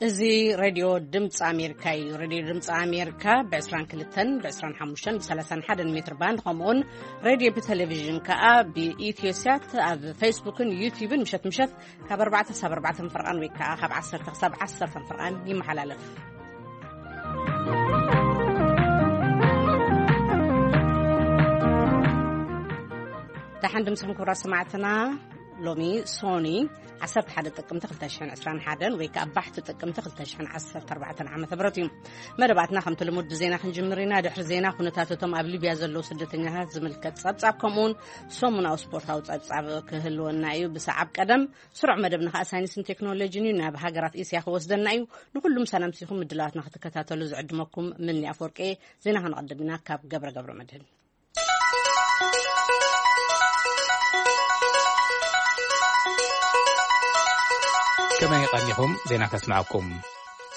እዚ ሬድዮ ድምፂ ኣሜሪካ እዩ። ሬድዮ ድምፂ ኣሜሪካ ብ22፣ ብ25፣ ብ31 ሜትር ባንድ፣ ከምኡውን ሬድዮ ብቴሌቪዥን ከዓ ብኢትዮስያት ኣብ ፌስቡክን ዩቲዩብን ምሸት ምሸት ካብ ኣርባዕተ ክሳብ ኣርባዕተ ፈርቓን ወይ ከዓ ካብ ዓሰርተ ክሳብ ዓሰርተ ፈርቓን ይመሓላለፍ። ደሓን ድምፅኹም ክቡራት ሰማዕትና። ሎሚ ሶኒ ዓሰርተ ሓደ ጥቅምቲ ክልተ ሽሕን ዕስራን ሓደን ወይ ከዓ ባሕቲ ጥቅምቲ ክልተ ሽሕን ዓሰርተ ኣርባዕተን ዓመተ ምህረት እዩ። መደባትና ከምቲ ልሙድ ብዜና ክንጅምር ኢና። ድሕሪ ዜና ኩነታት እቶም ኣብ ሊብያ ዘለዉ ስደተኛታት ዝምልከት ጸብጻብ ከምኡውን ሰሙናዊ ስፖርታዊ ጸብጻብ ክህልወና እዩ። ብሰዓብ ቀደም ስሩዕ መደብና ከዓ ሳይንስን ቴክኖሎጂን እዩ። ናብ ሃገራት እስያ ክወስደና እዩ። ንኩሉም ሰላምቲኹም ምድላዋትና ክትከታተሉ ዝዕድመኩም ምኒ ኣፈወርቂ። ዜና ክንቐድም ኢና ካብ ገብረ ገብረ መድህን። ከመይ ቀኒኹም? ዜና ከስምዓኩም።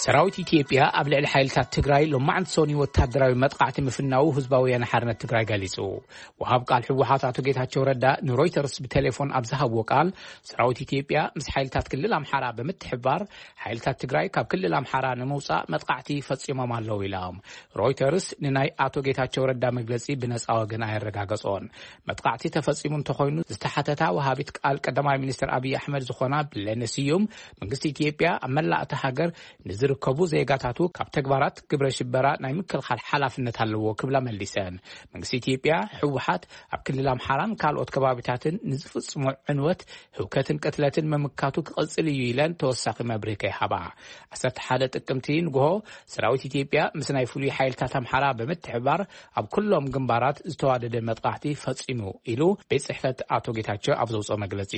ሰራዊት ኢትዮጵያ ኣብ ልዕሊ ሓይልታት ትግራይ ሎማዕንቲ ሶኒ ወታደራዊ መጥቃዕቲ ምፍናዉ ህዝባዊ ወያነ ሓርነት ትግራይ ገሊጹ። ወሃብ ቃል ህወሓት ኣቶ ጌታቸው ረዳ ንሮይተርስ ብቴሌፎን ኣብ ዝሃብዎ ቃል፣ ሰራዊት ኢትዮጵያ ምስ ሓይልታት ክልል ኣምሓራ ብምትሕብባር ሓይልታት ትግራይ ካብ ክልል ኣምሓራ ንምውጻእ መጥቃዕቲ ፈጺሞም ኣለዉ ኢሎም። ሮይተርስ ንናይ ኣቶ ጌታቸው ረዳ መግለጺ ብነጻ ወገን ኣየረጋገጾን። መጥቃዕቲ ተፈጺሙ እንተኾይኑ ዝተሓተታ ወሃቢት ቃል ቀዳማይ ሚኒስትር ኣብይ ኣሕመድ ዝኾና ብለነ ስዩም፣ መንግስቲ ኢትዮጵያ ኣብ መላእ እታ ሃገር ንዝርከቡ ዜጋታቱ ካብ ተግባራት ግብረ ሽበራ ናይ ምክልኻል ሓላፍነት ኣለዎ ክብላ መሊሰን። መንግስቲ ኢትዮጵያ ህወሓት ኣብ ክልል ኣምሓራን ካልኦት ከባቢታትን ንዝፍጽሞ ዕንወት፣ ህውከትን ቅትለትን ምምካቱ ክቕጽል እዩ ኢለን ተወሳኺ መብርሂ ከይሃባ። ዓሰርተ ሓደ ጥቅምቲ ንግሆ ሰራዊት ኢትዮጵያ ምስ ናይ ፍሉይ ሓይልታት ኣምሓራ ብምትሕባር ኣብ ኩሎም ግንባራት ዝተዋደደ መጥቃዕቲ ፈጺሙ ኢሉ ቤት ጽሕፈት ኣቶ ጌታቸው ኣብ ዘውፅኦ መግለጺ።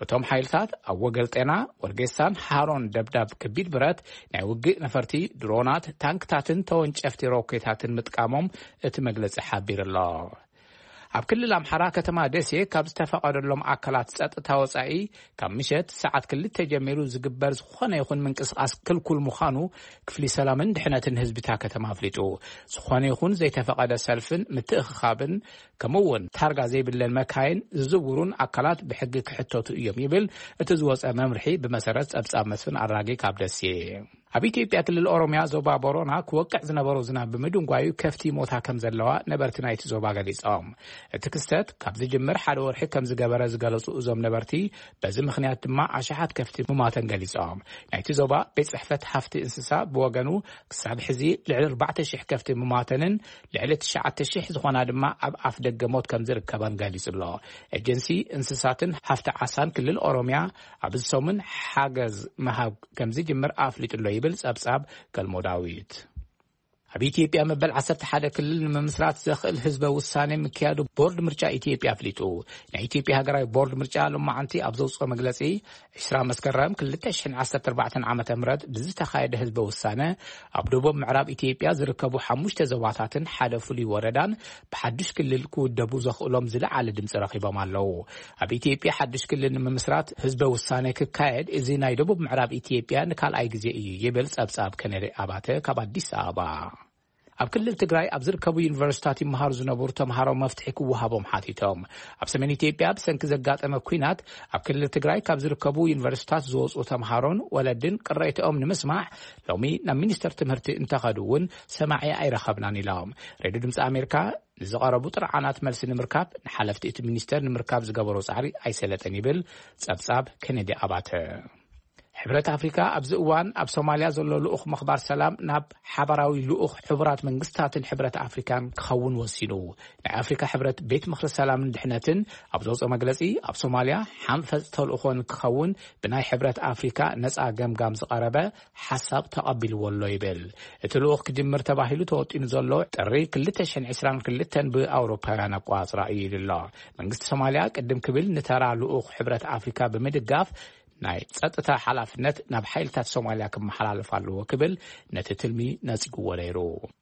እቶም ሓይልታት ኣብ ወገልጤና፣ ወርጌሳን ሃሮን ደብዳብ ከቢድ ብረት፣ ናይ ውግእ ነፈርቲ፣ ድሮናት፣ ታንክታትን ተወንጨፍቲ ሮኬታትን ምጥቃሞም እቲ መግለጺ ሓቢሩ ኣሎ። ኣብ ክልል ኣምሓራ ከተማ ደሴ ካብ ዝተፈቐደሎም ኣካላት ጸጥታ ወጻኢ ካብ ምሸት ሰዓት ክልተ ጀሚሩ ዝግበር ዝኾነ ይኹን ምንቅስቓስ ክልኩል ምዃኑ ክፍሊ ሰላምን ድሕነትን ህዝቢ እታ ከተማ ኣፍሊጡ። ዝኾነ ይኹን ዘይተፈቐደ ሰልፍን ምትእኽኻብን ከምኡ እውን ታርጋ ዘይብለን መካይን ዝዝውሩን ኣካላት ብሕጊ ክሕተቱ እዮም ይብል እቲ ዝወጸ መምርሒ ብመሰረት ጸብጻብ መስፍን ኣራጌ ካብ ደሴ። ኣብ ኢትዮጵያ ክልል ኦሮሚያ ዞባ ቦሮና ክወቅዕ ዝነበሮ ዝናብ ብምድንጓዩ ከፍቲ ሞታ ከም ዘለዋ ነበርቲ ናይቲ ዞባ ገሊጾም። እቲ ክስተት ካብ ዝጅምር ሓደ ወርሒ ከም ዝገበረ ዝገለጹ እዞም ነበርቲ፣ በዚ ምኽንያት ድማ ኣሽሓት ከፍቲ ምማተን ገሊጾም። ናይቲ ዞባ ቤት ጽሕፈት ሃፍቲ እንስሳ ብወገኑ ክሳብ ሕዚ ልዕሊ ኣርባዕተ ሽሕ ከፍቲ ምማተንን ልዕሊ ትሽዓተ ሽሕ ዝኾና ድማ ኣብ ኣፍ ደገ ሞት ከም ዝርከባን ገሊጹ ኣሎ። ኤጀንሲ እንስሳትን ሃፍቲ ዓሳን ክልል ኦሮሚያ ኣብዚ ሰሙን ሓገዝ ምሃብ ከም ዝጅምር ኣፍሊጡ ኣሎ ይብል ጸብጻብ ገልሞ ዳዊት። ኣብ ኢትዮጵያ መበል ዓሰርተ ሓደ ክልል ንምምስራት ዘኽእል ህዝበ ውሳኔ ምክያዱ ቦርድ ምርጫ ኢትዮጵያ ኣፍሊጡ። ናይ ኢትዮጵያ ሃገራዊ ቦርድ ምርጫ ሎማዓንቲ ኣብ ዘውፅኦ መግለፂ፣ ዕስራ መስከረም ክልተ ሽሕን ዓሰርተ ኣርባዕተን ዓመተ ምህረት ብዝተኻየደ ህዝበ ውሳነ፣ ኣብ ደቡብ ምዕራብ ኢትዮጵያ ዝርከቡ ሓሙሽተ ዞባታትን ሓደ ፍሉይ ወረዳን ብሓዱሽ ክልል ክውደቡ ዘኽእሎም ዝለዓለ ድምፂ ረኺቦም ኣለዉ። ኣብ ኢትዮጵያ ሓዱሽ ክልል ንምምስራት ህዝበ ውሳነ ክካየድ፣ እዚ ናይ ደቡብ ምዕራብ ኢትዮጵያ ንካልኣይ ግዜ እዩ ይብል ጸብጻብ ከነዲ ኣባተ ካብ ኣዲስ ኣበባ። ኣብ ክልል ትግራይ ኣብ ዝርከቡ ዩኒቨርሲታት ይመሃሩ ዝነበሩ ተምሃሮ መፍትሒ ክወሃቦም ሓቲቶም። ኣብ ሰሜን ኢትዮጵያ ብሰንኪ ዘጋጠመ ኲናት ኣብ ክልል ትግራይ ካብ ዝርከቡ ዩኒቨርሲታት ዝወፁ ተምሃሮን ወለድን ቅሬታኦም ንምስማዕ ሎሚ ናብ ሚኒስተር ትምህርቲ እንተኸዱ እውን ሰማዒ ኣይረኸብናን ኢሎም። ሬድዮ ድምፂ ኣሜሪካ ንዝቐረቡ ጥርዓናት መልሲ ንምርካብ ንሓለፍቲ እቲ ሚኒስተር ንምርካብ ዝገበሮ ጻዕሪ ኣይሰለጠን ይብል ጸብጻብ ኬኔዲ ኣባተ። ሕብረት ኣፍሪካ ኣብዚ እዋን ኣብ ሶማልያ ዘሎ ልኡኽ ምኽባር ሰላም ናብ ሓባራዊ ልኡኽ ሕቡራት መንግስታትን ሕብረት ኣፍሪካን ክኸውን ወሲኑ። ናይ ኣፍሪካ ሕብረት ቤት ምኽሪ ሰላምን ድሕነትን ኣብ ዘውፅኦ መግለፂ፣ ኣብ ሶማልያ ሓንፈፅ ተልእኾ ንክኸውን ብናይ ሕብረት ኣፍሪካ ነፃ ገምጋም ዝቐረበ ሓሳብ ተቐቢልዎ ኣሎ ይብል። እቲ ልኡኽ ክጅምር ተባሂሉ ተወጢኑ ዘሎ ጥሪ ክልተ ሽሕን ዕስራን ክልተን ብኣውሮፓውያን ኣቋጽራ እዩ ኢሉ ኣሎ። መንግስቲ ሶማልያ ቅድም ክብል ንተራ ልኡኽ ሕብረት ኣፍሪካ ብምድጋፍ ናይ ጸጥታ ሓላፍነት ናብ ሓይልታት ሶማልያ ክመሓላለፍ ኣለዎ ክብል ነቲ ትልሚ ነጺግዎ ነይሩ።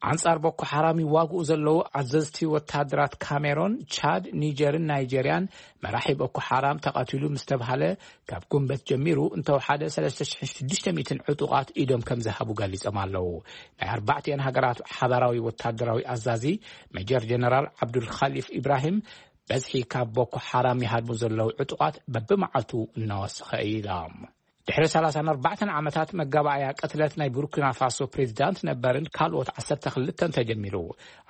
ኣንጻር ቦኮ ሓራም ይዋግኡ ዘለዉ ኣዘዝቲ ወታደራት ካሜሮን፣ ቻድ፣ ኒጀርን ናይጀርያን መራሒ ቦኮ ሓራም ተቐቲሉ ምስ ተብሃለ ካብ ጉንበት ጀሚሩ እንተወሓደ ሰለስተ ሽሕን ሽዱሽተ ሚእትን ዕጡቓት ኢዶም ከም ዝሃቡ ገሊጾም ኣለዉ። ናይ ኣርባዕቲኤን ሃገራት ሓባራዊ ወታደራዊ ኣዛዚ ሜጀር ጀነራል ዓብዱል ኻሊፍ ኢብራሂም በዝሒ ካብ ቦኮ ሓራም ይሃድሙ ዘለዉ ዕጡቓት በብመዓልቱ እናወሰኸ እዩ ኢሎም። ድሕሪ ሰላሳን ኣርባዕተን ዓመታት መጋባእያ ቅትለት ናይ ቡርኪና ፋሶ ፕሬዚዳንት ነበርን ካልኦት ዓሰርተ ክልተን ተጀሚሩ።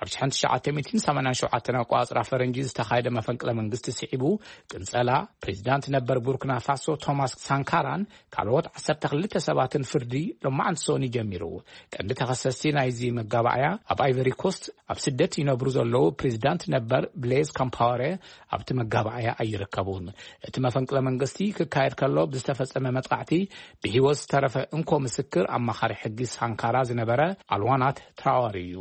ኣብ ሽሕን ትሽዓተ ሚእትን ሰማንያን ሸውዓተን ኣቆጻጽራ ፈረንጂ ዝተኻየደ መፈንቅለ መንግስቲ ስዒቡ፣ ቅንጸላ ፕሬዚዳንት ነበር ቡርኪና ፋሶ ቶማስ ሳንካራን ካልኦት ዓሰርተ ክልተ ሰባትን ፍርዲ ሎማዓንቲ ሶኒ ጀሚሩ። ቀንዲ ተኸሰስቲ ናይዚ መጋባእያ ኣብ ኣይቨሪ ኮስት ኣብ ስደት ይነብሩ ዘለዉ ፕሬዚዳንት ነበር ብሌዝ ካምፓወረ ኣብቲ መጋባእያ ኣይርከቡን። እቲ መፈንቅለ መንግስቲ ክካየድ ከሎ ብዝተፈጸመ መጥቃዕቲ ብህይወት ዝተረፈ እንኮ ምስክር ኣማኻሪ ሕጊ ሳንካራ ዝነበረ ኣልዋናት ትራዋሪ እዩ።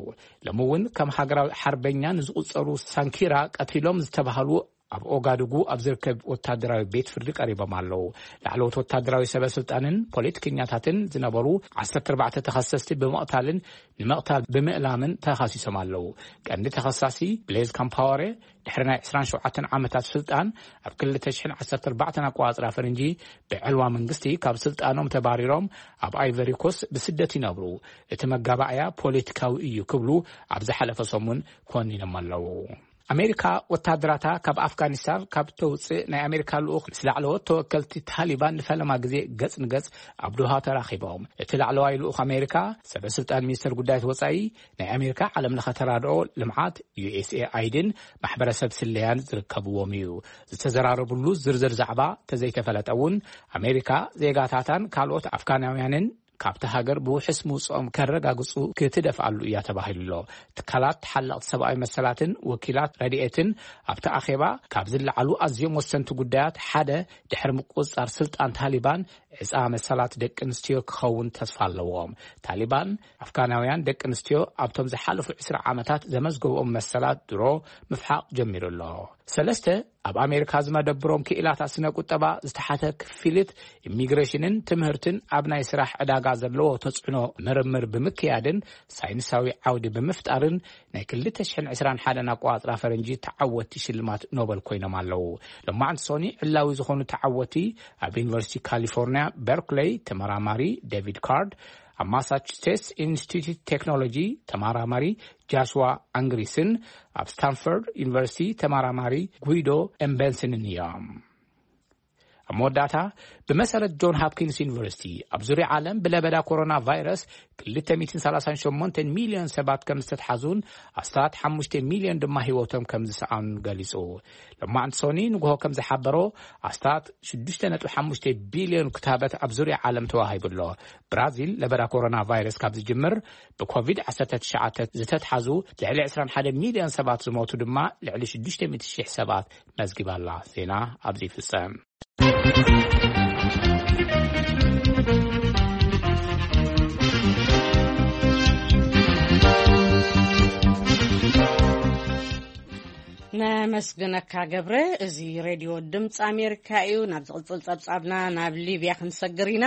ሎሚ እውን ከም ሃገራዊ ሓርበኛ ንዝቑጸሩ ሳንኪራ ቀቲሎም ዝተባህሉ ኣብ ኦጋዱጉ ኣብ ዝርከብ ወታደራዊ ቤት ፍርዲ ቀሪቦም ኣለዉ። ላዕለዎት ወታደራዊ ሰበ ስልጣንን ፖለቲከኛታትን ዝነበሩ ዓሰርተ ኣርባዕተ ተኸሰስቲ ብምቕታልን ንምቕታል ብምእላምን ተኸሲሶም ኣለዉ። ቀንዲ ተኸሳሲ ብሌዝ ካምፓወረ ድሕሪ ናይ ዕስራን ሸውዓተን ዓመታት ስልጣን ኣብ ክልተ ሽሕን ዓሰርተ ኣርባዕተን ኣቆጻጽራ ፈረንጂ ብዕልዋ መንግስቲ ካብ ስልጣኖም ተባሪሮም ኣብ ኣይቨሪ ኮስት ብስደት ይነብሩ። እቲ መጋባእያ ፖለቲካዊ እዩ ክብሉ ኣብ ዝሓለፈ ሰሙን ኮኒኖም ኣለዉ። ኣሜሪካ ወታደራታ ካብ ኣፍጋኒስታን ካብ ተውፅእ ናይ ኣሜሪካ ልኡኽ ምስ ላዕለዎት ተወከልቲ ታሊባን ንፈለማ ግዜ ገጽ ንገጽ ኣብ ዶሃ ተራኺቦም። እቲ ላዕለዋይ ልኡኽ ኣሜሪካ ሰበ ስልጣን ሚኒስተር ጉዳያት ወጻኢ ናይ ኣሜሪካ ዓለም ለኸ ተራድኦ ልምዓት ዩ ኤስ ኤ ኣይድን ማሕበረሰብ ስለያን ዝርከብዎም እዩ። ዝተዘራረብሉ ዝርዝር ዛዕባ ተዘይተፈለጠ እውን ኣሜሪካ ዜጋታታን ካልኦት ኣፍጋናውያንን ካብቲ ሃገር ብውሕስ ምውፅኦም ከረጋግፁ ክትደፍኣሉ እያ ተባሂሉ ኣሎ። ትካላት ተሓለቕቲ ሰብኣዊ መሰላትን ወኪላት ረድኤትን ኣብቲ ኣኼባ ካብ ዝለዓሉ ኣዝዮም ወሰንቲ ጉዳያት ሓደ ድሕሪ ምቁፅፃር ስልጣን ታሊባን ዕፃ መሰላት ደቂ ኣንስትዮ ክኸውን ተስፋ ኣለዎም። ታሊባን ኣፍጋናውያን ደቂ ኣንስትዮ ኣብቶም ዝሓለፉ ዕስራ ዓመታት ዘመዝገብኦም መሰላት ድሮ ምፍሓቕ ጀሚሩ ኣሎ። ሰለስተ ኣብ ኣሜሪካ ዝመደብሮም ክኢላታት ስነ ቁጠባ ዝተሓተ ክፍሊት ኢሚግሬሽንን ትምህርትን ኣብ ናይ ስራሕ ዕዳጋ ዘለዎ ተጽዕኖ ምርምር ብምክያድን ሳይንሳዊ ዓውዲ ብምፍጣርን ናይ ክልተ ሽሕን ዕስራን ሓደን ኣቆጻጽራ ፈረንጂ ተዓወቲ ሽልማት ኖበል ኮይኖም ኣለዉ። ሎማዕንቲ ሶኒ ዕላዊ ዝኾኑ ተዓወቲ ኣብ ዩኒቨርሲቲ ካሊፎርኒያ በርክሌይ ተመራማሪ ዴቪድ ካርድ፣ ኣብ ማሳቹሴትስ ኢንስቲትዩት ቴክኖሎጂ ተመራማሪ ጃሽዋ ኣንግሪስን ኣብ ስታንፎርድ ዩኒቨርሲቲ ተመራማሪ ጉይዶ ኤምበንስንን እዮም። ኣብ መወዳእታ፣ ብመሰረት ጆን ሃፕኪንስ ዩኒቨርሲቲ ኣብ ዙርያ ዓለም ብለበዳ ኮሮና ቫይረስ ክልተ ሚእትን ሰላሳን ሸሞንተን ሚልዮን ሰባት ከም ዝተትሓዙን ኣስታት ሓሙሽተ ሚልዮን ድማ ህይወቶም ከም ዝሰኣኑን ገሊጹ። ሎማዕንቲ ሶኒ ንግሆ ከም ዝሓበሮ ኣስታት ሽዱሽተ ነጥቢ ሓሙሽተ ቢልዮን ክታበት ኣብ ዙርያ ዓለም ተዋሂቡ ኣሎ። ብራዚል ለበዳ ኮሮና ቫይረስ ካብ ዝጅምር ብኮቪድ ዓሰርተ ትሽዓተ ዝተትሓዙ ልዕሊ ዕስራን ሓደን ሚልዮን ሰባት ዝሞቱ ድማ ልዕሊ ሽዱሽተ ሚእቲ ሽሕ ሰባት መዝጊባ ኣላ። ዜና ኣብዚ ይፍጸም። ነመስግነካ ገብረ። እዚ ሬድዮ ድምፂ ኣሜሪካ እዩ። ናብ ዝቕፅል ፀብፃብና ናብ ሊብያ ክንሰግር ኢና።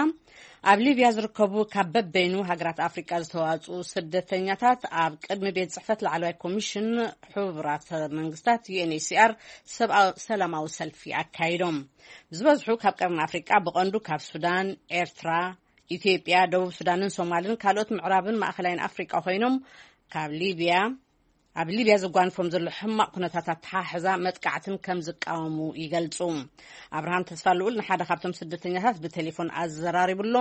ኣብ ሊብያ ዝርከቡ ካብ በበይኑ ሃገራት ኣፍሪቃ ዝተዋፅኡ ስደተኛታት ኣብ ቅድሚ ቤት ጽሕፈት ላዕለዋይ ኮሚሽን ሕቡራት መንግስታት ዩ ኤን ኤች ሲ ኣር ሰብኣዊ፣ ሰላማዊ ሰልፊ ኣካይዶም። ዝበዝሑ ካብ ቀርኒ ኣፍሪቃ፣ ብቐንዱ ካብ ሱዳን፣ ኤርትራ፣ ኢትዮጵያ፣ ደቡብ ሱዳንን ሶማልን ካልኦት ምዕራብን ማእኸላይን ኣፍሪቃ ኮይኖም፣ ካብ ሊብያ ኣብ ሊብያ ዘጓንፎም ዘሎ ሕማቕ ኩነታት ኣተሓሕዛ መጥቃዕትን ከም ዝቃወሙ ይገልጹ። ኣብርሃም ተስፋ ልኡል ንሓደ ካብቶም ስደተኛታት ብቴሌፎን ኣዘራሪቡ ኣሎ።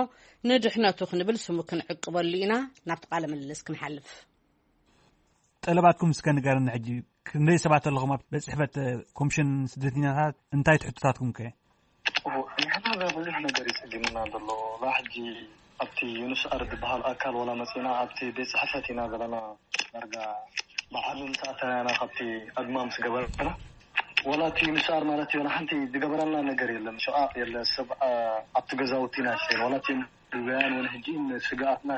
ንድሕነቱ ክንብል ስሙ ክንዕቅበሉ ኢና። ናብቲ ቃለ ምልልስ ክንሓልፍ። ጠለባትኩም እስከ ንገረኒ። ሕጂ ክንደይ ሰባት ኣለኹም ኣብ ቤት ጽሕፈት ኮሚሽን ስደተኛታት? እንታይ ትሕቶታትኩም ከ? ንሕና እዛ ብዙሕ ነገር ይጽግምና ዘሎ። እዛ ሕጂ ኣብቲ ዩንስኣር ዝበሃል ኣካል ዋላ መጺና ኣብቲ ቤት ጽሕፈት ኢና ዘለና። ዳርጋ ብዓቢ ምስ ኣተናና ካብቲ ኣድማ ምስ ገበርና፣ ዋላ እቲ ዩንስኣር ማለት እዩ፣ ሓንቲ ዝገበረና ነገር የለን። ሸቓቕ የለ፣ ሰብ፣ ኣ፣ ኣብቲ ገዛውቲ ኢና ሸይን። ዋላ እቲ ሊብያውያን እውን ሕጂ ንስግኣትና፣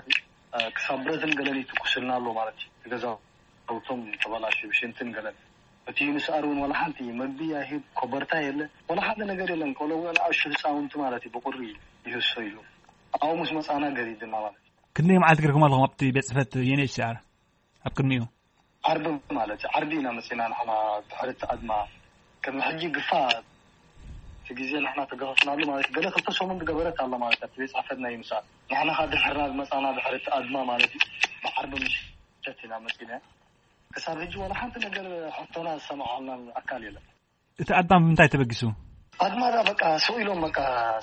ኣ፣ ክሳብ ብረትን ገለን ይትኩስልና ኣሎ ማለት እዩ። እቲ ገዛውቶም ተበላሽዩ፣ ሽንትን ገለን። እቲ ዩንስኣር እውን ዋላ ሓንቲ መግቢ ኣይህብ፣ ኮበርታ የለ፣ ዋላ ሓደ ነገር የለን። ቆልዑ እውን ንኣሽቱ ህፃውንቲ ማለት እዩ ብቁሪ ይህሰ ኢሉ ኣብኡ ምስ መፃና ገዲድና ማለት እዩ። ክንደይ መዓልቲ ገርኩም ኣለኹም ኣብቲ ቤት ጽሕፈት ዩ ኤን ኤች ሲ ኣር? ኣብ ቅድሚኡ ዓርቢ ማለት እዩ። ዓርቢ ኢና መፂና ንሕና ድሕሪ እቲ ኣድማ። ቅድሚ ሕጂ ግፋ እቲ ግዜ ንሕና ተገፈፍናሉ ማለት እዩ። ገለ ክልተ ሰሙን ዝገበረት ኣላ ማለት እዩ። ኣብቲ ቤት ጽሕፈት ናይ ዩንስኣር ንሕና ካብ ድሕርና ዝመፃና ድሕሪ እቲ ኣድማ ማለት እዩ። ብዓርቢ ምሸት ኢና መፂና። ክሳብ ሕጂ ዋላ ሓንቲ ነገር ሕቶና ዝሰማዓልናን ኣካል የለን። እቲ ኣድማ ብምንታይ ተበጊሱ? ኣድማዳ በቃ ስቕ ኢሎም በቃ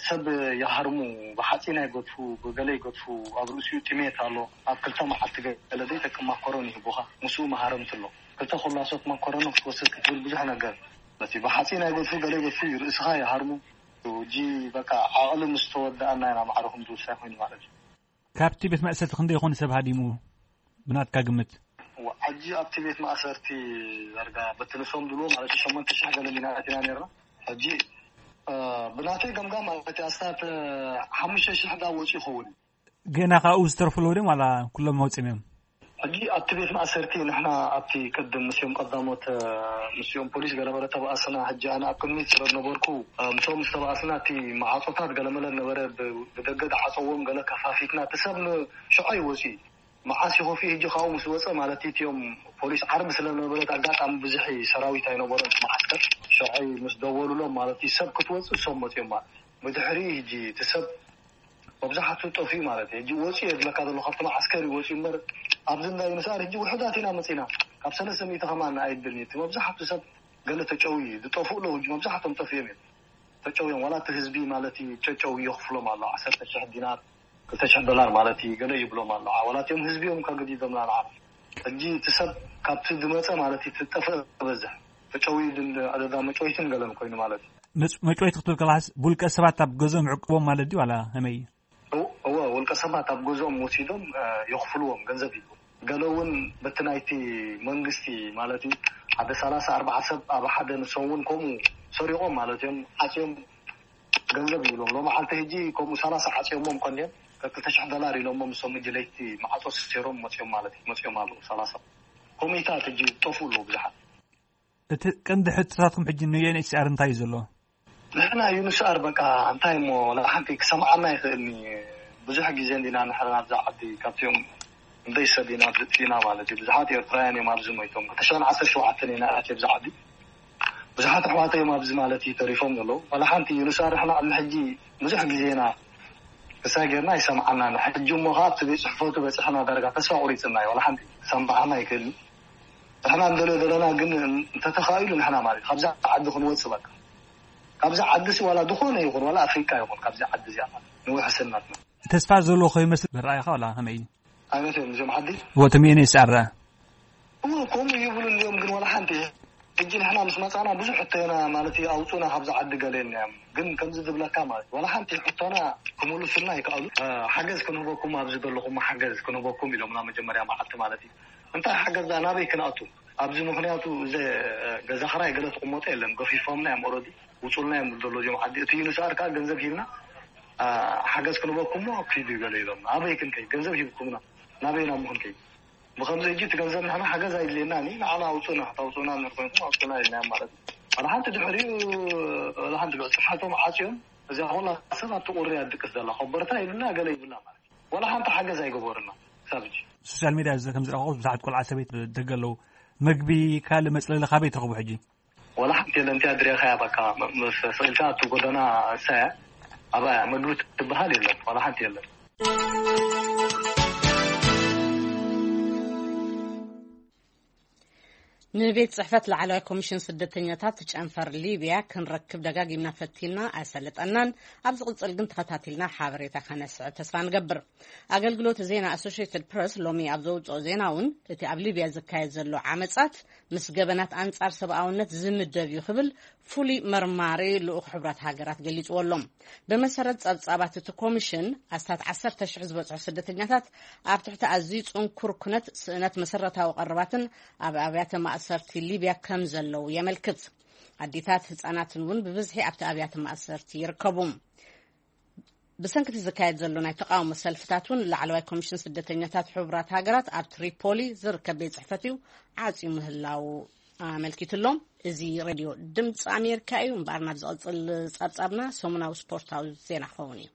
ሰብ ይሃርሙ፣ ብሓፂን ኣይገድፉ፣ ብገለ ይገድፉ። ኣብ ርእሲኡ ጥሜት ኣሎ። ኣብ ክልተ መዓልቲ ገለ ዘይጠቅም ማኮሮኒ ይህቡኻ፣ ምስኡ መሃረምቲ ኣሎ። ክልተ ኩላሶት ማኮሮኒ ክትወስድ ክትብል ብዙሕ ነገር፣ ነቲ ብሓፂን ኣይገድፉ፣ ገለ ይገድፉ እዩ፣ ርእስኻ ይሃርሙ። እጂ በቃ ዓቕሊ ምስ ተወደኣና ኢና ማዕረኹም ዝውሳይ ኮይኑ ማለት እዩ። ካብቲ ቤት ማእሰርቲ ክንደይ ይኾን ሰብ ሃዲሙ ብናትካ ግምት? ሕጂ ኣብቲ ቤት ማእሰርቲ ዳርጋ በቲ ንሶም ድልዎ ማለት ሸሞንተ ሽሕ ገለ ሚና ኣቲና ነርና። ሕጂ ብናተይ ገምጋም ማለት ኣስታት ሓሙሽተ ሽሕ ዳ ወፂ ይኸውን። ገና ካብኡ ዝተርፉ ኣለዉ ድም ዋላ ኩሎም መውፅም እዮም? ሕጂ ኣብቲ ቤት ማእሰርቲ ንሕና ኣብቲ ቅድም ምስኦም ቀዳሞት ምስኦም ፖሊስ ገለመለ ተባእስና። ሕጂ ኣነ ኣብ ቅድሚት ስለ ዝነበርኩ ምስኦም ዝተባእስና እቲ መዓፆታት ገለመለ ነበረ፣ ብደገ ዝዓፀዎም ገለ ከፋፊትና እቲ ሰብ ንሽዖ ይወፅእ። መዓስ ይኸፍኡ ሕጂ ካብኡ ምስ ወፀ ማለት እዩ። እቲኦም ፖሊስ ዓርቢ ስለ ነበረት ኣጋጣሚ ብዙሕ ሰራዊት ኣይነበሮን እቲ መዓስከር። ሸዐይ ምስ ደወሉሎም ማለት እዩ ሰብ ክትወፅእ እሶም መፅኦም ማለት እዩ። ብድሕሪ ሕጂ እቲ ሰብ መብዛሕትኡ ጠፍኡ ማለት እዩ። ሕጂ ወፅኡ እየ ዝብለካ ዘሎ ካብቲ መዓስከር እዩ ወፅኡ እምበር ኣብዚ እንዳ ዩንስኣር ሕጂ ውሕዳት ኢና መፂና። ካብ ሰለስተ ሚእቲ ከማን ኣይብልን እዩ እቲ መብዛሕትኡ ሰብ ገለ ተጨውዩ እዩ ዝጠፍኡ ኣለዉ ሕጂ መብዛሕቶም ጠፍኦም እዮም። ተጨውዮም ዋላ እቲ ህዝቢ ማለት እዩ ጨጨው የኽፍሎም ኣሎ ዓሰርተ ሽሕ ዲናር ክልተ ሽሕ ዶላር ማለት እዩ ገለ ይብሎም ኣሎ። ዋላ እቲኦም ህዝቢ እዮም ከግዲዶምና ንዓ ሕጂ እቲ ሰብ ካብቲ ዝመፀ ማለት እዩ ትጠፍእ በዝሕ ተጨውዩ ድን ዕደዳ መጨወይትን ገለን ኮይኑ ማለት እዩ። መጭ- መጭወይቲ ክትብል ከለካስ ብውልቀ ሰባት ኣብ ገዝኦም ዕቅቦም ማለት ድዩ ዋላ ከመይ? እወ ውልቀ ሰባት ኣብ ገዝኦም ወሲዶም የኽፍልዎም ገንዘብ እዩ። ገለ እውን በቲ ናይቲ መንግስቲ ማለት እዩ ሓደ ሰላሳ ኣርባዓ ሰብ ኣብ ሓደ ንሶም እውን ከምኡ ሰሪቖም ማለት እዮም ዓፅዮም ገንዘብ ይብሎም። ሎማዓንቲ ሕጂ ከምኡ ሰላሳ ዓፅዮሞም ቀንዮም ክልተ ሽሕ ዶላር ኢሎሞም ንሶም ሕጂ ለይቲ ማዕፆ ሰሲሮም መፅዮም ማለት እዩ መፅዮም ኣለዉ ሰላሳ ኮሚታት ሕጂ ጠፍኡ ኣለዉ ብዙሓት። እቲ ቀንዲ ሕቶታትኩም ሕጂ ን ዩ ኤን ኤች ሲ ኣር እንታይ እዩ ዘሎ? ንሕና ዩ ኤን ኤች ሲ ኣር በቃ እንታይ እሞ ወላ ሓንቲ ክሰምዓና ይኽእልኒ። ብዙሕ ግዜ እንዲና ንሕና ኣብዛ ዓዲ ካብቲኦም እንደይ ሰብ ኢና ዝጥፊና ማለት እዩ። ብዙሓት ኤርትራውያን እዮም ኣብዚ ሞይቶም። ክልተ ሽሕን ዓሰርተ ሸውዓተን ኢና ኣትየ ኣብዚ ዓዲ። ብዙሓት ኣሕዋተይ እዮም ኣብዚ ማለት እዩ ተሪፎም ዘለዉ። ወላ ሓንቲ ዩ ኤን ኤች ሲ ኣር ንሕና ቅድሚ ሕጂ ብዙሕ ግዜ ኢና ክሳይ ጌርና ኣይሰምዓናን። ሕጂ እሞ ከዓ ኣብቲ ቤት ጽሕፈቱ በጺሕና ዳርጋ ተስፋ ቁሪጽና እዩ። ወላ ሓንቲ ክሰምዓና ኣይክእልን። ንሕና እንደልዮ ዘለና ግን እንተተኻኢሉ ንሕና ማለት እዩ ካብዛ ዓዲ ክንወጽእ በቃ ካብዛ ዓዲ ሲ ዋላ ዝኾነ ይኹን ዋላ ኣፍሪቃ ይኹን ካብዛ ዓዲ እዚኣ ማለት ንውሕስነትና። ተስፋ ዘሎ ከይመስል ዝረኣየኻ ዋላ ከመይ እዩ? ዓይነት እዮም እዚኦም ዓዲ። ወትም ኤን ኤስ ኣር ኣ እዎ ከምኡ ይብሉ እንዲኦም ግን ዋላ ሓንቲ ሕጂ ንሕና ምስ መጻና ብዙሕ ሕቶና ማለት እዩ ኣውፁና ካብዚ ዓዲ ገለ እዮም ግን ከምዚ ዝብለካ ማለት ዋላ ሓንቲ ሕቶና ክምልሱልና ይከኣሉ። ሓገዝ ክንህበኩም ኣብዚ ዘለኹም ሓገዝ ክንህበኩም ኢሎምና መጀመርያ መዓልቲ ማለት እዩ። እንታይ ሓገዝ ዳ ናበይ ክንኣቱ ኣብዚ ምክንያቱ እዚ ገዛ ክራይ ገለ ትቕመጦ የለን ገፊፎምና እዮም ኦረዲ ውፁልና እዮም ዘሎ እዚኦም ዓዲ እቲ ዩኒስኣር ከዓ ገንዘብ ሂብና ሓገዝ ክንህበኩም ሞ ኪዱ ይበለ ኢሎምና ኣበይ ክንከይ ገንዘብ ሂብኩምና ናበይ ናብ ምክንከይ ብኸምዚ ሕጂ እቲ ገንዘብ ንሕና ሓገዝ ኣይድልየናን እዩ ንዓና ኣውፁና ታውፁና እንድሕር ኮይንኩም ኣውፁና ኢልናዮም ማለት እዩ። ዋላ ሓንቲ ድሕሪኡ ዋላ ሓንቲ ልዑል ፅፍሓቶም ዓፅዮም እዚኣ ኩላ ሰብ ኣብቲ ቁሪ ኣድቅስ ዘላ ኮበርታ ይብላ ገለ ይብላ ማለት እዩ። ዋላ ሓንቲ ሓገዝ ኣይገበሩና ክሳብ ሕጂ። ሶሻል ሚድያ እዚ ከም ዝረኸኹ ብዙሓት ቆልዓ ሰበይቲ ደገ ኣለዉ። መግቢ ካልእ መፅለሊ ካበይ ትረኽቡ ሕጂ? ዋላ ሓንቲ የለን እቲኣ ድሬኻያ በቃ ስኢልካ እቲ ጎደና እሳያ ኣባያ ምግቢ ትበሃል የለን ዋላ ሓንቲ የለን። ንቤት ጽሕፈት ላዕለዋይ ኮሚሽን ስደተኛታት ጨንፈር ሊብያ ክንረክብ ደጋጊምና ፈቲና ኣይሰለጠናን። ኣብ ዝቕጽል ግን ተኸታቲልና ሓበሬታ ከነስዕብ ተስፋ ንገብር። ኣገልግሎት ዜና ኣሶሽትድ ፕረስ ሎሚ ኣብ ዘውፅኦ ዜና እውን እቲ ኣብ ሊብያ ዝካየድ ዘሎ ዓመጻት ምስ ገበናት ኣንጻር ሰብኣውነት ዝምደብ እዩ ክብል ፍሉይ መርማሪ ልኡኽ ሕቡራት ሃገራት ገሊጽዎ ኣሎ። ብመሰረት ጸብጻባት እቲ ኮሚሽን ኣስታት ዓሰርተ ሽሕ ዝበጽሑ ስደተኛታት ኣብ ትሕቲ ኣዝዩ ጽንኩር ኩነት ስእነት መሰረታዊ ቀረባትን ኣብ ኣብያተ ማእሰርቲ ሊብያ ከም ዘለዉ የመልክት። ኣዴታት ህጻናትን እውን ብብዝሒ ኣብቲ ኣብያተ ማእሰርቲ ይርከቡ። ብሰንክቲ ዝካየድ ዘሎ ናይ ተቃውሞ ሰልፍታት እውን ላዕለዋይ ኮሚሽን ስደተኛታት ሕቡራት ሃገራት ኣብ ትሪፖሊ ዝርከብ ቤት ጽሕፈት እዩ ዓጽዩ ምህላው ኣመልኪቱ ኣሎ። እዚ ሬድዮ ድምፂ ኣሜሪካ እዩ። እምበኣር ናብ ዝቐፅል ጸብጻብና ሰሙናዊ ስፖርታዊ ዜና ክኸውን እዩ።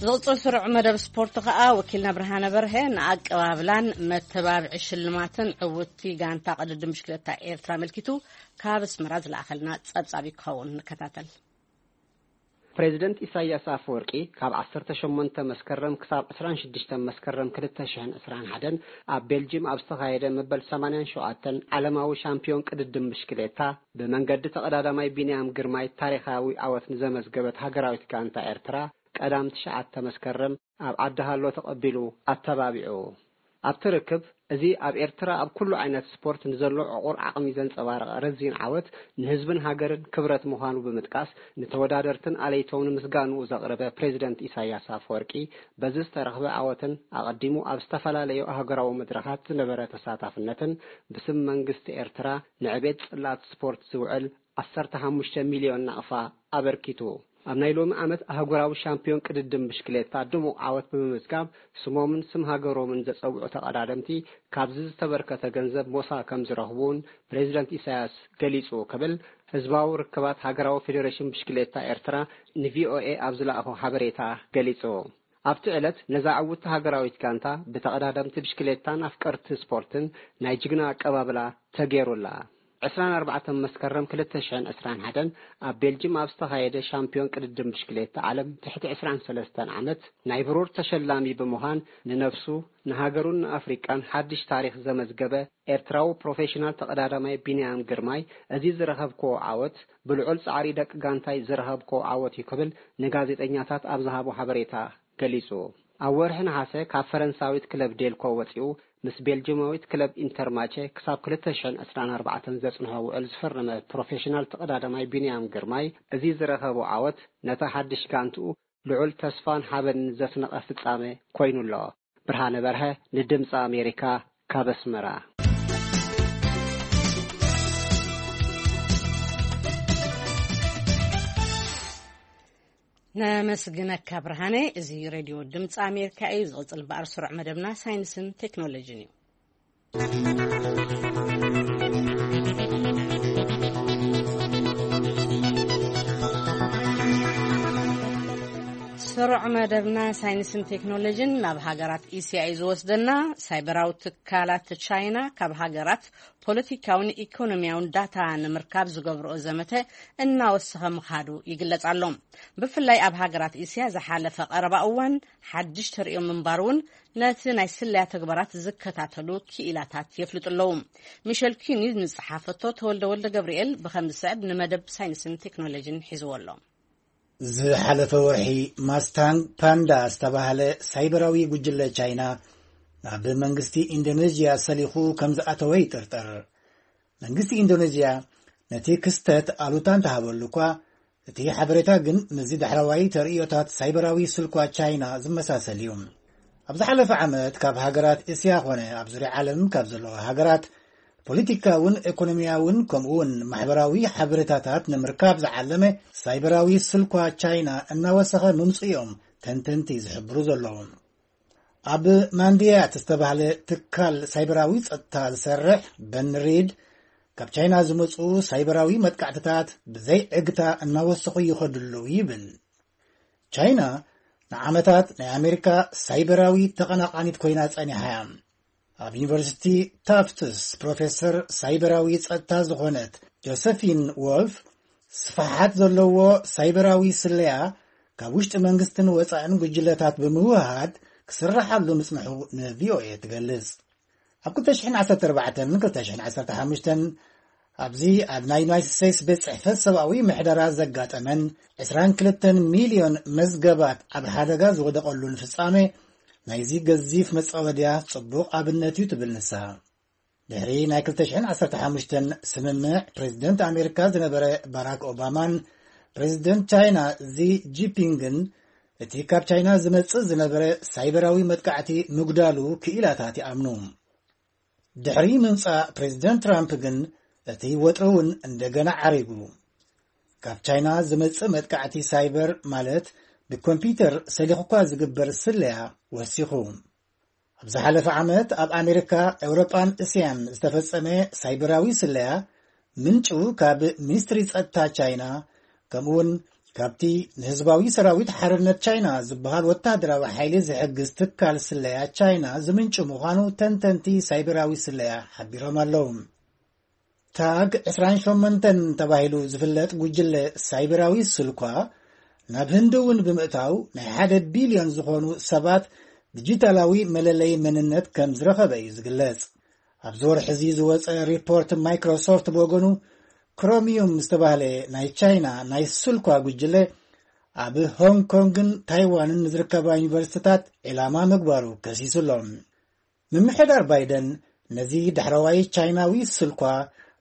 ዝቕፅል ስሩዕ መደብ ስፖርት ከኣ ወኪልና ብርሃነ በርሀ ንኣቀባብላን መተባብዒ ሽልማትን ዕውቲ ጋንታ ቅድድም ብሽክለታ ኤርትራ ኣመልኪቱ ካብ ኣስመራ ዝለኣኸልና ጸብጻብ ክኸውን ንከታተል። ፕሬዚደንት ኢሳያስ ኣፈወርቂ ካብ ዓሰርተ ሸሞንተ መስከረም ክሳብ ዕስራን ሽዱሽተን መስከረም ክልተ ሽሕን ዕስራን ሓደን ኣብ ቤልጅም ኣብ ዝተኻየደ መበል ሰማንያን ሸውዓተን ዓለማዊ ሻምፒዮን ቅድድም ብሽክሌታ ብመንገዲ ተቐዳዳማይ ቢንያም ግርማይ ታሪኻዊ ዓወት ንዘመዝገበት ሃገራዊት ጋንታ ኤርትራ ቀዳም ትሽዓተ መስከረም ኣብ ዓዲ ሃሎ ተቐቢሉ ኣተባቢዑ። ኣብቲ ርክብ፣ እዚ ኣብ ኤርትራ ኣብ ኩሉ ዓይነት ስፖርት ንዘሎ ዕቑር ዓቕሚ ዘንጸባረቐ ረዚን ዓወት ንህዝብን ሃገርን ክብረት ምዃኑ ብምጥቃስ፣ ንተወዳደርትን ኣለይቶምን ምስጋንኡ ዘቕረበ ፕሬዚደንት ኢሳያስ ኣፈወርቂ፣ በዚ ዝተረኽበ ዓወትን ኣቐዲሙ ኣብ ዝተፈላለዩ ኣህጉራዊ መድረኻት ዝነበረ ተሳታፍነትን ብስም መንግስቲ ኤርትራ ንዕቤት ጽላት ስፖርት ዝውዕል ዓሰርተ ሓሙሽተ ሚልዮን ናቕፋ ኣበርኪቱ። ኣብ ናይ ሎሚ ዓመት ኣህጉራዊ ሻምፒዮን ቅድድም ብሽክሌታ ድሙቕ ዓወት ብምምዝጋብ፣ ስሞምን ስም ሃገሮምን ዘጸውዑ ተቐዳደምቲ ካብዚ ዝተበርከተ ገንዘብ ሞሳ ከም ዝረኽቡ እውን ፕሬዚደንት ኢሳያስ ገሊጹ ክብል ህዝባዊ ርክባት ሃገራዊ ፌዴሬሽን ብሽክሌታ ኤርትራ ንቪኦኤ ኣብ ዝለኣኾ ሓበሬታ ገሊጹ። ኣብቲ ዕለት ነዛ ዕውትቲ ሃገራዊት ጋንታ ብተቐዳደምቲ ብሽክሌታን ኣፍቀርቲ ስፖርትን ናይ ጅግና ኣቀባብላ ተገይሩላ። ዕስራን ኣርባዕተን መስከረም ክልተ ሽሕን ዕስራን ሓደን ኣብ ቤልጅም ኣብ ዝተኻየደ ሻምፒዮን ቅድድም ብሽክሌታ ዓለም ትሕቲ ዕስራን ሰለስተን ዓመት ናይ ብሩር ተሸላሚ ብምዃን ንነፍሱ፣ ንሃገሩን ንኣፍሪቃን ሓድሽ ታሪኽ ዘመዝገበ ኤርትራዊ ፕሮፌሽናል ተቐዳዳማይ ቢንያም ግርማይ፣ እዚ ዝረኸብክዎ ዓወት ብልዑል ጻዕሪ ደቂ ጋንታይ ዝረኸብክዎ ዓወት እዩ ክብል ንጋዜጠኛታት ኣብ ዝሃቦ ሓበሬታ ገሊጹ። ኣብ ወርሒ ነሓሰ ካብ ፈረንሳዊት ክለብ ዴልኮ ወጺኡ ምስ ቤልጅማዊት ክለብ ኢንተርማቸ ክሳብ ክልተ ሽሕን ዕስራን ኣርባዕተን ዘጽንሖ ውዕል ዝፈረመ ፕሮፌሽናል ተቐዳዳማይ ቢንያም ግርማይ፣ እዚ ዝረኸቦ ዓወት ነታ ሓድሽ ጋንትኡ ልዑል ተስፋን ሓበንን ዘስነቐ ፍጻመ ኮይኑ ኣሎ። ብርሃነ በርሀ ንድምጺ ኣሜሪካ ካብ ኣስመራ። ነመስግነካ ብርሃነ። እዚ ሬድዮ ድምፂ ኣሜሪካ እዩ። ዝቕፅል በኣር ስሩዕ መደብና ሳይንስን ቴክኖሎጂን እዩ። ስሩዕ መደብና ሳይንስን ቴክኖሎጂን ናብ ሃገራት እስያ እዩ ዝወስደና። ሳይበራዊ ትካላት ቻይና ካብ ሃገራት ፖለቲካውን ኢኮኖሚያውን ዳታ ንምርካብ ዝገብርኦ ዘመተ እናወሰኸ ምኻዱ ይግለጽ ኣሎ። ብፍላይ ኣብ ሃገራት እስያ ዝሓለፈ ቀረባ እዋን ሓድሽ ተርእዮ ምንባር እውን ነቲ ናይ ስለያ ተግባራት ዝከታተሉ ክኢላታት የፍልጡ ኣለዉ። ሚሸል ኪኒ ንዝጸሓፈቶ ተወልደ ወልደ ገብርኤል ብኸም ዝስዕብ ንመደብ ሳይንስን ቴክኖሎጂን ሒዝዎ ኣሎ። ዝሓለፈ ወርሒ ማስታንግ ፓንዳ ዝተባህለ ሳይበራዊ ጉጅለ ቻይና ናብ መንግስቲ ኢንዶኔዥያ ሰሊኹ ከም ዝኣተወ ይጥርጠር። መንግስቲ ኢንዶኔዥያ ነቲ ክስተት ኣሉታ እንተሃበሉ እኳ፣ እቲ ሓበሬታ ግን ምስዚ ዳሕረዋይ ተርእዮታት ሳይበራዊ ስልኳ ቻይና ዝመሳሰል እዩ። ኣብ ዝሓለፈ ዓመት ካብ ሃገራት እስያ ኾነ ኣብ ዙርያ ዓለም ካብ ዘለዋ ሃገራት ፖለቲካውን ኢኮኖሚያውን ከምኡውን ማሕበራዊ ሓበሬታታት ንምርካብ ዝዓለመ ሳይበራዊ ስልኳ ቻይና እናወሰኸ ምምፅኡ እዮም ተንተንቲ ዝሕብሩ ዘለዉ። ኣብ ማንዲያት ዝተባህለ ትካል ሳይበራዊ ጸጥታ ዝሰርሕ በን ሪድ፣ ካብ ቻይና ዝመጹ ሳይበራዊ መጥቃዕትታት ብዘይ ዕግታ እናወሰኹ ይኸዱ ኣለዉ ይብል። ቻይና ንዓመታት ናይ ኣሜሪካ ሳይበራዊ ተቐናቓኒት ኮይና ጸኒሓ እያ። ኣብ ዩኒቨርሲቲ ታፍትስ ፕሮፌሰር ሳይበራዊ ጸጥታ ዝኾነት ጆሰፊን ዎልፍ፣ ስፍሓት ዘለዎ ሳይበራዊ ስለያ ካብ ውሽጢ መንግስትን ወጻእን ጉጅለታት ብምውሃድ ክስርሓሉ ምጽንሑ ንቪኦኤ ትገልጽ። ኣብ ክልተ ሽሕን ዓሰርተ ኣርባዕተን ክልተ ሽሕን ዓሰርተ ሓሙሽተን ኣብዚ ኣብ ናይ ዩናይትድ ስቴትስ ቤት ጽሕፈት ሰብኣዊ ምሕደራ ዘጋጠመን ዕስራን ክልተን ሚልዮን መዝገባት ኣብ ሓደጋ ዝወደቐሉን ፍጻሜ ናይዚ ገዚፍ መጻወድያ ጽቡቕ ኣብነት እዩ ትብል ንሳ። ድሕሪ ናይ ክልተ ሽሕን ዓሰርተ ሓሙሽተን ስምምዕ፣ ፕሬዚደንት ኣሜሪካ ዝነበረ ባራክ ኦባማን ፕሬዚደንት ቻይና ዚ ጂፒንግን እቲ ካብ ቻይና ዝመጽእ ዝነበረ ሳይበራዊ መጥቃዕቲ ምጉዳሉ ክኢላታት ይኣምኑ። ድሕሪ ምምጻእ ፕሬዚደንት ትራምፕ ግን እቲ ወጥሪ እውን እንደገና ዓሪጉ። ካብ ቻይና ዝመጽእ መጥቃዕቲ ሳይበር ማለት ብኮምፒውተር ሰሊኹ እኳ ዝግበር ስለያ ወሲኹ። ኣብ ዝሓለፈ ዓመት ኣብ ኣሜሪካ፣ ኤውሮጳን እስያን ዝተፈጸመ ሳይበራዊ ስለያ ምንጩ ካብ ሚኒስትሪ ጸጥታ ቻይና፣ ከምኡውን ካብቲ ንህዝባዊ ሰራዊት ሓርነት ቻይና ዝበሃል ወታደራዊ ሓይሊ ዝሕግዝ ትካል ስለያ ቻይና ዝምንጩ ምዃኑ ተንተንቲ ሳይበራዊ ስለያ ሓቢሮም ኣለዉ። ታግ ዕስራን ሸሞንተን ተባሂሉ ዝፍለጥ ጉጅለ ሳይበራዊ ስልኳ ናብ ህንዲ እውን ብምእታው ናይ ሓደ ቢልዮን ዝኾኑ ሰባት ዲጂታላዊ መለለይ መንነት ከም ዝረኸበ እዩ ዝግለጽ። ኣብዚ ወርሒ እዚ ዝወጸ ሪፖርት፣ ማይክሮሶፍት ብወገኑ ክሮሚዩም ዝተባህለ ናይ ቻይና ናይ ስልኳ ጉጅለ ኣብ ሆንግ ኮንግን ታይዋንን ንዝርከባ ዩኒቨርሲቲታት ዒላማ ምግባሩ ከሲሱ ኣሎ። ምምሕዳር ባይደን ነዚ ዳሕረዋይ ቻይናዊ ስልኳ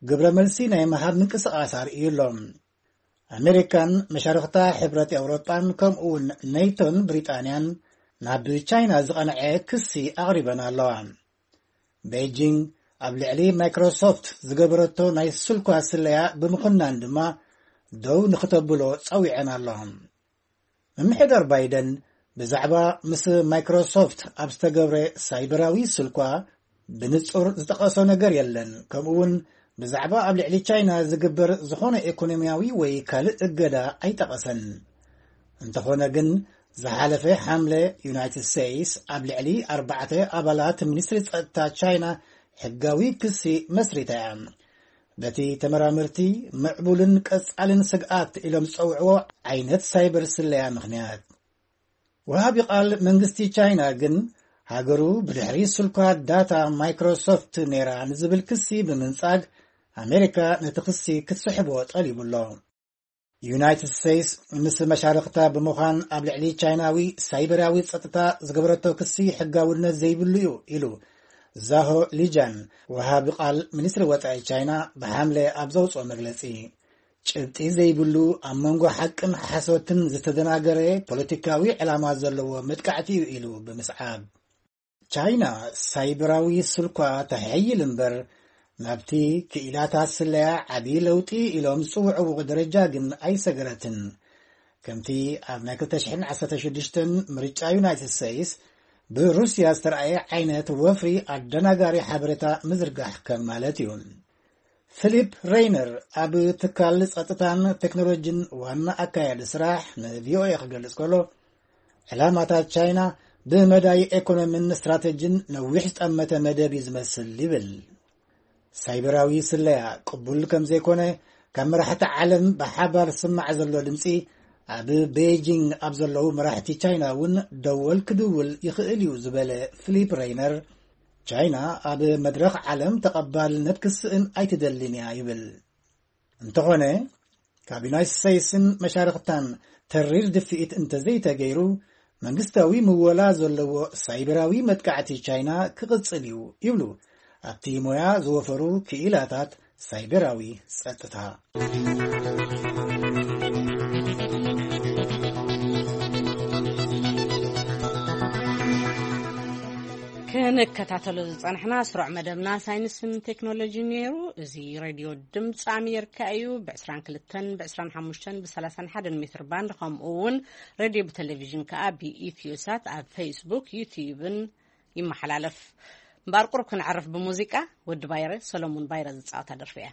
ግብረ መልሲ ናይ ምሃብ ምንቅስቓስ ኣርእዩ ኣሎ። ኣሜሪካን መሻርኽታ ሕብረት ኤውሮጳን ከምኡ እውን ኔቶን ብሪጣንያን ናብ ቻይና ዝቐንዐ ክሲ ኣቕሪበን ኣለዋ። ቤጂንግ ኣብ ልዕሊ ማይክሮሶፍት ዝገበረቶ ናይ ስልኳ ስለያ ብምኹናን ድማ ደው ንክተብሎ ጸዊዐን ኣለዋ። ምምሕዳር ባይደን ብዛዕባ ምስ ማይክሮሶፍት ኣብ ዝተገብረ ሳይበራዊ ስልኳ ብንጹር ዝጠቐሶ ነገር የለን። ከምኡ እውን ብዛዕባ ኣብ ልዕሊ ቻይና ዝግበር ዝኾነ ኢኮኖሚያዊ ወይ ካልእ እገዳ ኣይጠቐሰን። እንተኾነ ግን፣ ዝሓለፈ ሓምለ ዩናይትድ ስቴትስ ኣብ ልዕሊ ኣርባዕተ ኣባላት ሚኒስትሪ ጸጥታ ቻይና ሕጋዊ ክሲ መስሪታ እያ። በቲ ተመራመርቲ ምዕቡልን ቀጻልን ስግኣት ኢሎም ዝጸውዕዎ ዓይነት ሳይበር ስለያ ምኽንያት። ወሃቢ ቃል መንግስቲ ቻይና ግን፣ ሃገሩ ብድሕሪ ስልኳ ዳታ ማይክሮሶፍት ነይራ ንዝብል ክሲ ብምንጻግ፣ ኣሜሪካ ነቲ ክሲ ክትስሕቦ ጠሊቡ ኣሎ። ዩናይትድ ስቴትስ ምስ መሻርኽታ ብምዃን ኣብ ልዕሊ ቻይናዊ ሳይበራዊ ጸጥታ ዝገበረቶ ክሲ ሕጋውነት ዘይብሉ እዩ ኢሉ ዛሆ ሊጃን፣ ወሃቢ ቃል ሚኒስትሪ ወጻኢ ቻይና፣ ብሓምለ ኣብ ዘውጽኦ መግለጺ። ጭብጢ ዘይብሉ፣ ኣብ መንጎ ሓቅን ሓሶትን ዝተደናገረ ፖለቲካዊ ዕላማ ዘለዎ መጥቃዕቲ እዩ ኢሉ ብምስዓብ። ቻይና ሳይበራዊ ስልኳ ተሐይል እምበር፣ ናብቲ ክኢላታት ስለያ ዓቢ ለውጢ ኢሎም ዝጽውዕዎ ደረጃ ግን ኣይሰገረትን። ከምቲ ኣብ ናይ ክልተ ሽሕን ዓሰርተ ሽዱሽተን ምርጫ ዩናይትድ ስቴትስ ብሩስያ ዝተረኣየ ዓይነት ወፍሪ ኣደናጋሪ ሓበሬታ ምዝርጋሕ ከም ማለት እዩ። ፊሊፕ ሬይነር ኣብ ትካል ጸጥታን ቴክኖሎጂን ዋና ኣካያዲ ስራሕ ንቪኦኤ ክገልጽ ከሎ፣ ዕላማታት ቻይና ብመዳይ ኢኮኖሚን ስትራተጂን ነዊሕ ዝጠመተ መደብ እዩ ዝመስል ይብል። ሳይበራዊ ስለያ ቅቡል ከም ዘይኮነ ካብ መራሕቲ ዓለም ብሓባር ዝስማዕ ዘሎ ድምጺ፣ ኣብ ቤጂንግ ኣብ ዘለዉ መራሕቲ ቻይና እውን ደወል ክድውል ይኽእል እዩ ዝበለ ፊሊፕ ሬይነር፣ ቻይና ኣብ መድረኽ ዓለም ተቐባልነት ክስእን ኣይትደልን እያ ይብል። እንተኾነ፣ ካብ ዩናይትድ ስቴትስን መሻርኽታን ተሪር ድፍኢት እንተዘይተገይሩ፣ መንግስታዊ ምወላ ዘለዎ ሳይበራዊ መጥቃዕቲ ቻይና ክቕጽል እዩ ይብሉ ኣብቲ ሞያ ዝወፈሩ ክኢላታት ሳይበራዊ ጸጥታ። ክንከታተሎ ዝጸናሕና ስሩዕ መደብና ሳይንስን ቴክኖሎጂን ነይሩ። እዚ ሬድዮ ድምፂ ኣሜሪካ እዩ። ብ22፣ ብ25፣ ብ31 ሜትር ባንድ፣ ከምኡ እውን ሬድዮ ብቴሌቪዥን ከኣ ብኢትዮሳት ኣብ ፌስቡክ፣ ዩትዩብን ይመሓላለፍ። እምበኣር ቁሩብ ክንዕርፍ ብሙዚቃ። ወዲ ባይረ፣ ሰሎሙን ባይረ ዝጻወታ ደርፊ እያ።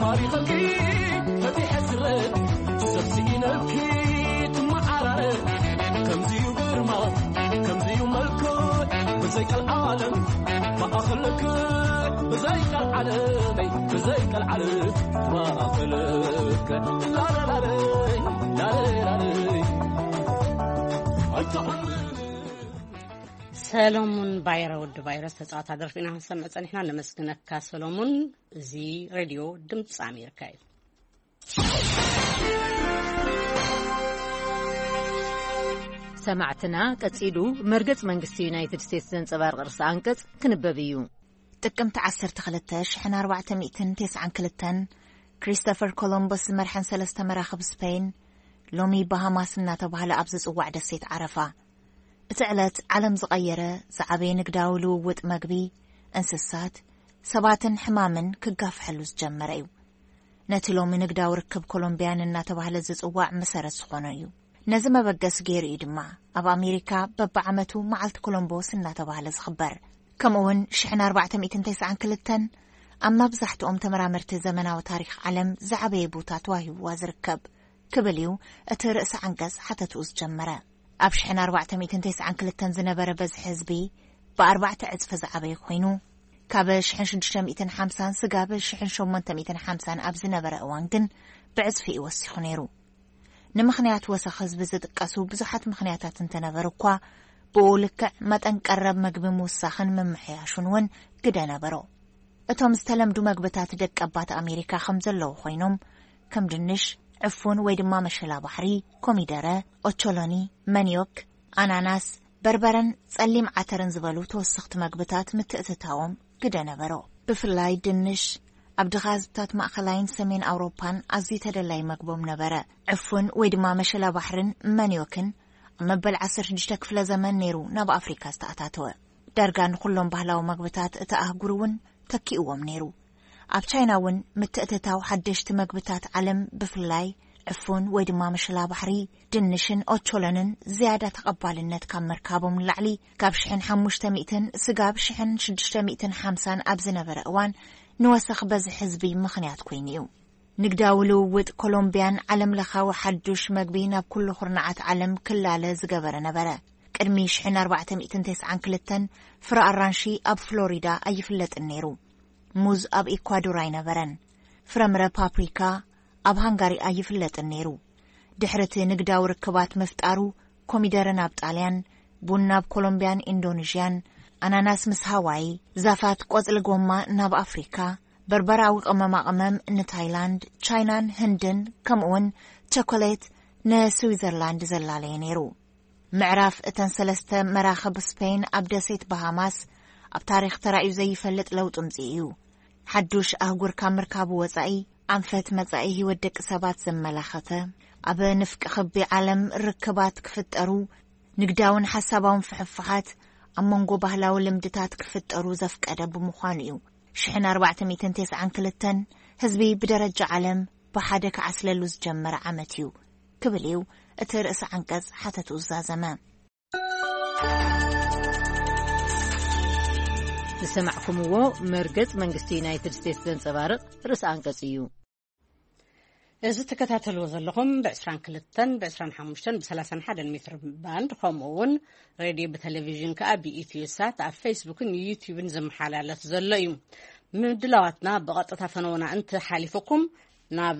ታሪኽኪ ፈቲሐ ስረድ ሰብ ስኢነልኪ ትመዓራረድ። ከምዚዩ ግርማ ከምዚዩ መልክዕ ብዘይ ቀልዓለም ማእኸል ልክዕ ብዘይ ቀልዓለመይ ብዘይ ቀልዓለም ማእኸል ልክዕ ላላላለይ ላላላለይ ኣይተኾንን። ሰሎሙን ባይረ፣ ወዲ ባይረ ዝተፃወታ ደርፊ ኢና ክንሰምዕ ፀኒሕና። ነመስግነካ ሰሎሙን። እዚ ሬድዮ ድምፂ ኣሜሪካ እዩ። ሰማዕትና፣ ቀጺሉ መርገጽ መንግስቲ ዩናይትድ ስቴትስ ዘንጸባርቕ ርእሰ ኣንቀጽ ክንበብ እዩ። ጥቅምቲ ዓሰርተ ክልተ ሽሕን ኣርባዕተ ሚእትን ተስዓን ክልተን፣ ክሪስቶፈር ኮሎምበስ ዝመርሐን ሰለስተ መራኽብ ስፔን፣ ሎሚ ባሃማስ እናተባህለ ኣብ ዝጽዋዕ ደሴት ዓረፋ። እቲ ዕለት ዓለም ዝቐየረ ዝዓበየ ንግዳዊ ልውውጥ መግቢ፣ እንስሳት፣ ሰባትን ሕማምን ክጋፍሐሉ ዝጀመረ እዩ። ነቲ ሎሚ ንግዳዊ ርክብ ኮሎምቢያን እናተባህለ ዝጽዋዕ መሰረት ዝኾነ እዩ። ነዚ መበገሲ ገይሩ እዩ ድማ ኣብ ኣሜሪካ በብዓመቱ መዓልቲ ኮሎምቦስ እናተባህለ ዝኽበር። ከምኡ እውን ሽሕን ኣርባዕተ ሚእትን ተስዓን ክልተን ኣብ መብዛሕትኦም ተመራመርቲ ዘመናዊ ታሪኽ ዓለም ዝዓበየ ቦታ ተዋሂብዋ ዝርከብ ክብል እዩ እቲ ርእሰ ዓንቀጽ ሓተትኡ ዝጀመረ። ኣብ ሽሕን ኣርባዕተ ሚእትን ተስዓን ክልተን ዝነበረ በዝሒ ህዝቢ ብኣርባዕተ ዕጽፊ ዝዓበየ ኮይኑ፣ ካብ ሽሕን ሽዱሽተ ሚእትን ሓምሳን ስጋብ ሽሕን ሸሞንተ ሚእትን ሓምሳን ኣብ ዝነበረ እዋን ግን ብዕጽፊ እዩ ወሲኹ ነይሩ። ንምኽንያት ወሰኽ ህዝቢ ዝጥቀሱ ብዙሓት ምኽንያታት እንተነበሩ እኳ፣ ብኡ ልክዕ መጠን ቀረብ መግቢ ምውሳኽን ምምሕያሹን እውን ግደ ነበሮ። እቶም ዝተለምዱ መግብታት ደቀባት ኣሜሪካ ከም ዘለዉ ኮይኖም፣ ከም ድንሽ፣ ዕፉን ወይ ድማ መሸላ ባሕሪ፣ ኮሚደረ፣ ኦቾሎኒ፣ መንዮክ፣ ኣናናስ፣ በርበረን ጸሊም ዓተርን ዝበሉ ተወሰኽቲ መግብታት ምትእትታዎም ግደ ነበሮ። ብፍላይ ድንሽ ኣብ ድኻ ህዝብታት ማእኸላይን ሰሜን ኣውሮፓን ኣዝዩ ተደላይ መግቦም ነበረ። ዕፉን ወይ ድማ መሸላ ባሕርን መንዮክን ኣብ መበል ዓሰርተ ሽዱሽተ ክፍለ ዘመን ነይሩ ናብ ኣፍሪካ ዝተኣታተወ። ዳርጋ ንኹሎም ባህላዊ መግብታት እታ ኣህጉር እውን ተኪእዎም ነይሩ። ኣብ ቻይና እውን ምትእትታው ሓደሽቲ መግብታት ዓለም ብፍላይ ዕፉን ወይ ድማ መሸላ ባሕሪ፣ ድንሽን ኦቾሎንን ዝያዳ ተቐባልነት ካብ ምርካቦም ንላዕሊ፣ ካብ ሽሕን ሓሙሽተ ሚእትን ስጋብ ሽሕን ሽዱሽተ ሚእትን ሓምሳን ኣብ ዝነበረ እዋን ንወሰኽ በዝሒ ህዝቢ ምኽንያት ኮይኑ እዩ። ንግዳዊ ልውውጥ ኮሎምቢያን ዓለም ለኻዊ ሓዱሽ መግቢ ናብ ኩሉ ኩርናዓት ዓለም ክላለ ዝገበረ ነበረ። ቅድሚ ሽሕን ኣርባዕተ ሚእትን ተስዓን ክልተን ፍረ ኣራንሺ ኣብ ፍሎሪዳ ኣይፍለጥን ነይሩ። ሙዝ ኣብ ኢኳዶር ኣይነበረን። ፍረምረ ፓፕሪካ ኣብ ሃንጋሪ ኣይፍለጥን ነይሩ። ድሕሪ እቲ ንግዳዊ ርክባት ምፍጣሩ፣ ኮሚደረ ናብ ጣልያን፣ ቡን ናብ ኮሎምቢያን ኢንዶኔዥያን፣ ኣናናስ ምስ ሃዋይ፣ ዛፋት ቆጽሊ ጎማ ናብ ኣፍሪካ፣ በርበራዊ ቅመማ ቅመም ንታይላንድ፣ ቻይናን ህንድን፣ ከምኡውን ቸኮሌት ንስዊዘርላንድ ዘላለየ ነይሩ። ምዕራፍ እተን ሰለስተ መራኽብ ስፔን ኣብ ደሴት ባሃማስ ኣብ ታሪኽ ተራእዩ ዘይፈልጥ ለውጢ ምጽኢ እዩ። ሓዱሽ ኣህጉር ካብ ምርካቡ ወጻኢ፣ ኣንፈት መጻኢ ህይወት ደቂ ሰባት ዘመላኸተ፣ ኣብ ንፍቂ ክቢ ዓለም ርክባት ክፍጠሩ፣ ንግዳውን ሓሳባውን ፍሕፍሓት ኣብ መንጎ ባህላዊ ልምድታት ክፍጠሩ ዘፍቀደ ብምዃኑ እዩ። ሽሕን ኣርባዕተ ሚእትን ተስዓን ክልተን ህዝቢ ብደረጃ ዓለም ብሓደ ክዓስለሉ ዝጀመረ ዓመት እዩ ክብል እዩ እቲ ርእሰ ዓንቀጽ ሓተትኡ ዝዛዘመ። ዝሰማዕኩምዎ መርገጽ መንግስቲ ዩናይትድ ስቴትስ ዘንጸባርቕ ርእሰ ኣንቀጽ እዩ። እዚ ትከታተልዎ ዘለኹም ብ22፣ ብ25፣ ብ31 ሜትር ባንድ፣ ከምኡ እውን ሬድዮ ብቴሌቪዥን ከኣ ብኢትዮ ሳት ኣብ ፌስቡክን ዩቲዩብን ዝመሓላለፍ ዘሎ እዩ። ምድላዋትና ብቐጥታ ፈነውና እንተሓሊፉኩም ናብ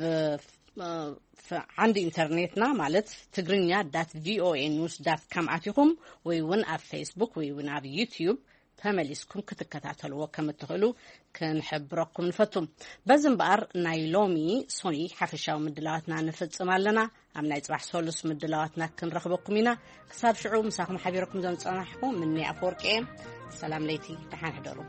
ዓንዲ ኢንተርኔትና ማለት ትግርኛ ዳት ቪኦኤ ኒውስ ዳት ካም ኣቲኹም ወይ እውን ኣብ ፌስቡክ ወይ እውን ኣብ ዩቲዩብ ተመሊስኩም ክትከታተልዎ ከም እትኽእሉ ክንሕብረኩም ንፈቱ። በዚ እምበኣር ናይ ሎሚ ሶኒ ሓፈሻዊ ምድላዋትና ንፍጽም ኣለና። ኣብ ናይ ጽባሕ ሶሉስ ምድላዋትና ክንረኽበኩም ኢና። ክሳብ ሽዑ ምሳኹም ሓቢረኩም ዘንጸናሕኩ ምኒ ኣፈወርቂ እየ። ሰላም ለይቲ፣ ደሓን ሕደሩ።